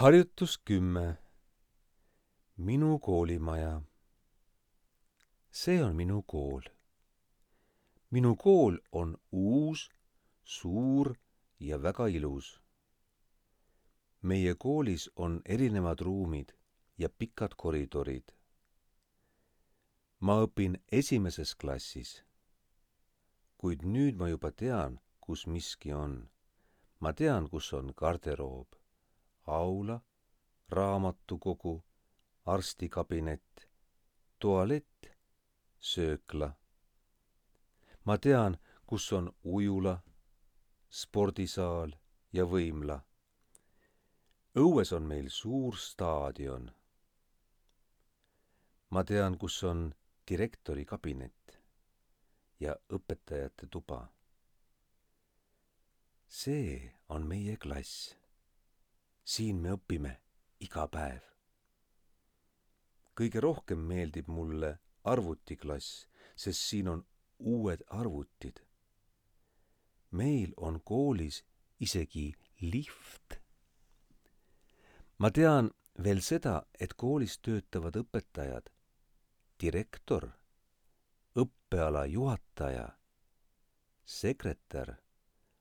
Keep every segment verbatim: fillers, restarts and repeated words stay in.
Harjutus kümme. Minu koolimaja. See on minu kool. Minu kool on uus, suur ja väga ilus. Meie koolis on erinevad ruumid ja pikad koridorid. Ma õpin esimeses klassis, kuid nüüd ma juba tean, kus miski on. Ma tean, kus on garderoob, aula, raamatukogu, arstikabinet, tualett, söökla. Ma tean, kus on ujula, spordisaal ja võimla. Õues on meil suur staadion. Ma tean, kus on direktori kabinet ja õpetajate tuba. See on meie klass. Siin me õpime iga päev. Kõige rohkem meeldib mulle arvutiklass, sest siin on uued arvutid. Meil on koolis isegi lift. Ma tean veel seda, et koolis töötavad õpetajad, direktor, õppeala juhataja, sekretär,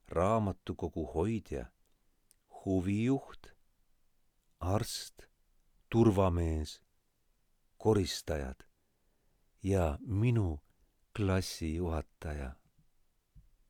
raamatukogu hoidja, huvijuht, arst, turvamees, koristajad ja minu klassijuhataja.